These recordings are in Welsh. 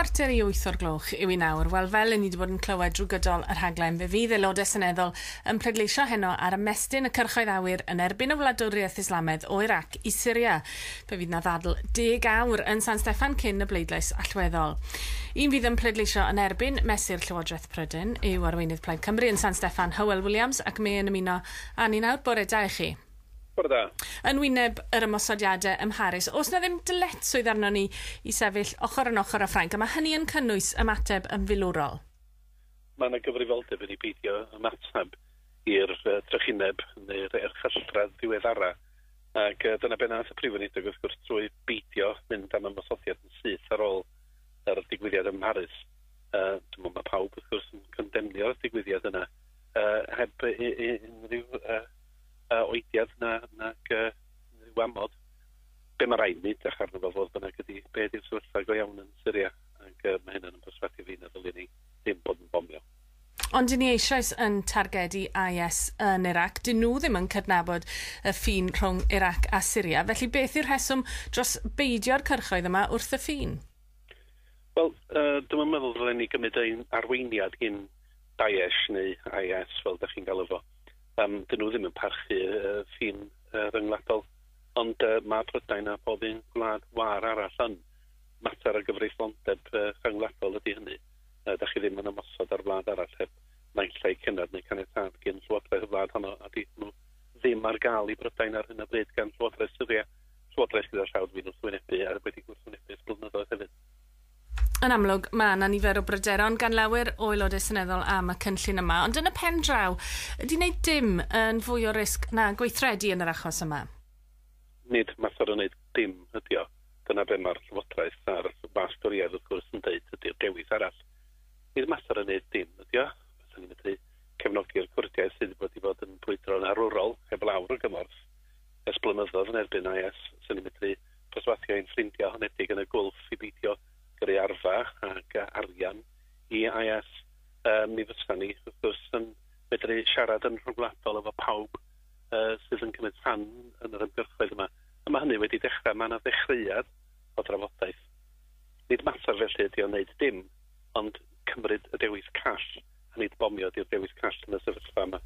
7:45 o'r gloch yw i nawr. Wel, fel ni wedi bod yn clywed drwy gydol y rhaglen, fe fydd aelodau seneddol yn pleidleisio heno ar ymestyn y cyrchoedd awyr yn erbyn y wladwriaeth Islamaidd o Irac i Syria. Fe fydd na ddadl 10 awr yn San Steffan cyn y bleidlais allweddol. Un fydd yn pleidleisio yn erbyn mesur Llywodraeth Prydain yw arweinydd Plaid Cymru yn San Steffan, Hywel Williams, ac mae yn ymuno â ni nawr. Bore da i chi. Bore da. Yn wyneb yr ymosodiadau ym Mharis, oes na ddim dyletswydd arno ni i sefyll ochr yn ochr â Ffrainc, a mae hynny yn cynnwys ymateb yn filwrol? Mae yna gyfrifoldeb i ni beidio ymateb i'r trychineb neu'r erchylltra ddiweddara. Ac dyna be nath y Prif Weinidog, wrth gwrs, trwy beidio mynd am ymosodiad yn syth ar ôl yr digwyddiad ym Mharis. Dwi'n meddwl mae pawb, wrth gwrs, yn condemnio'r digwyddiad yna heb unrhyw oediad nag unrhyw amod. Be mae rhaid ni edrych arno fo, fodd bynnag, ydy be ydy'r sefyllfa go iawn yn Syria, ac mae hynny'n yn perswadio fi na ddylwn ni ddim bod yn bomio. Ond dyn ni eisoes yn targedu IS yn Iraq. Dyn nhw ddim yn cydnabod y ffin rhwng Iraq a Syria. Felly beth yw'r rheswm dros beidio'r cyrchoedd yma wrth y ffin? Wel, dwi'n meddwl ddylen ni gymryd ein arweiniad gyn Daesh neu IS, fel ydych chi'n galw fo. Dyn nhw ddim yn parchu ffin ryngwladol, ond mae Prydain a pob un gwlad wâr arall yn. Mater o gyfreithlondeb rhyngwladol ydy hynny. Da chi ddim yn ymosod ar wlad arall heb naill ai cennad neu caniatâd gan Llywodraeth y wlad honno, a di nhw ddim ar gael i Brydain ar hyn o bryd gan Llywodraeth Syria. Llywodraeth gyda llaw dwi'n wrthwynebu a wedi gwrthwynebu ers blynyddoedd hefyd. Yn amlwg, mae yna nifer o bryderon gan lawer o aelodau seneddol am y cynllun yma, ond yn y pen draw, ydy wneud dim yn fwy o risg na gweithredu yn yr achos yma? Nid mater o wneud dim ydy o. Dyna be mae'r Llywodraeth a'r wasg Dorïaidd, wrth gwrs, yn deud ydy'r dewis arall. Nid mater o wneud dim ydy o. Fysa ni'n medru cefnogi'r Cwrdiaid sydd wedi bod yn brwydro'n arwrol heb lawr o gymorth ers blynyddoedd yn erbyn IS. Fysa ni'n medru perswadio ein ffrindiau honedig yn y Gwlff i beidio gyrru arfa ac arian i IS. Mi fysa ni, wrth gwrs, yn medru siarad yn rhyngwladol efo pawb sydd yn cymryd rhan yn yr ymgyrchoedd yma. A mae hynny wedi dechrau, mae yna ddechreuad o drafodaeth. Nid mater felly ydy o wneud dim, ond cymryd y dewis call, a nid bomio ydy'r dewis call yn y sefyllfa yma.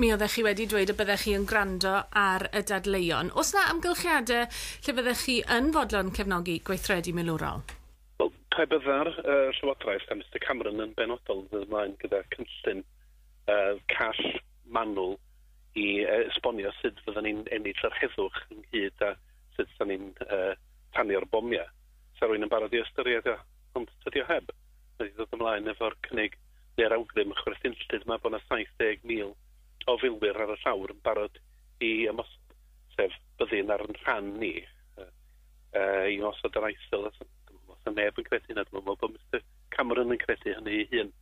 Mi oeddech chi wedi dweud y byddech chi yn gwrando ar y dadleuon. Oes na amgylchiadau lle byddech chi yn fodlon cefnogi gweithredu milwrol? Wel, pe bydda'r Llywodraeth a Mr Cameron yn benodol yn dod ymlaen gyda cynllun call manwl i esbonio sut fydden ni'n ennill yr heddwch ynghyd a sut fydden ni'n tanio'r bomiau, sa rhywun yn barod i ystyried o, ond tydi o heb. Mae wedi dod ymlaen efo'r cynnig neu'r awgrym chwerthinllyd yma bod yna 70,000 o filwyr ar y llawr yn barod i ymosod, sef byddin ar yn rhan ni i ymosod ar ISIL. Os neb yn credu hynna, dwi'n meddwl bod Mr Cameron yn credu hynny ei hun.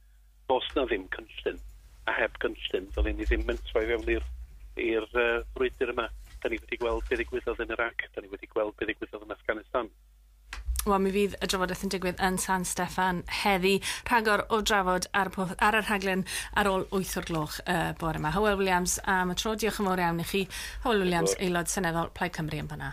Does na ddim cynllun, a heb gynllun, ddylen ni ddim mentro i fewn i'r frwydr yma. Da ni wedi gweld beth ddigwyddodd yn Iraq, da ni wedi gweld beth ddigwyddodd yn Afghanistan. Wel, mi fydd y drafodaeth yn digwydd yn San Steffan heddi. Rhagor o drafod ar y rhaglen ar ôl 8 o'r gloch bore yma. Hywel Williams am y tro. Diolch yn fawr iawn i chi. Hywel Williams, aelod seneddol Plaid Cymru yn fanna.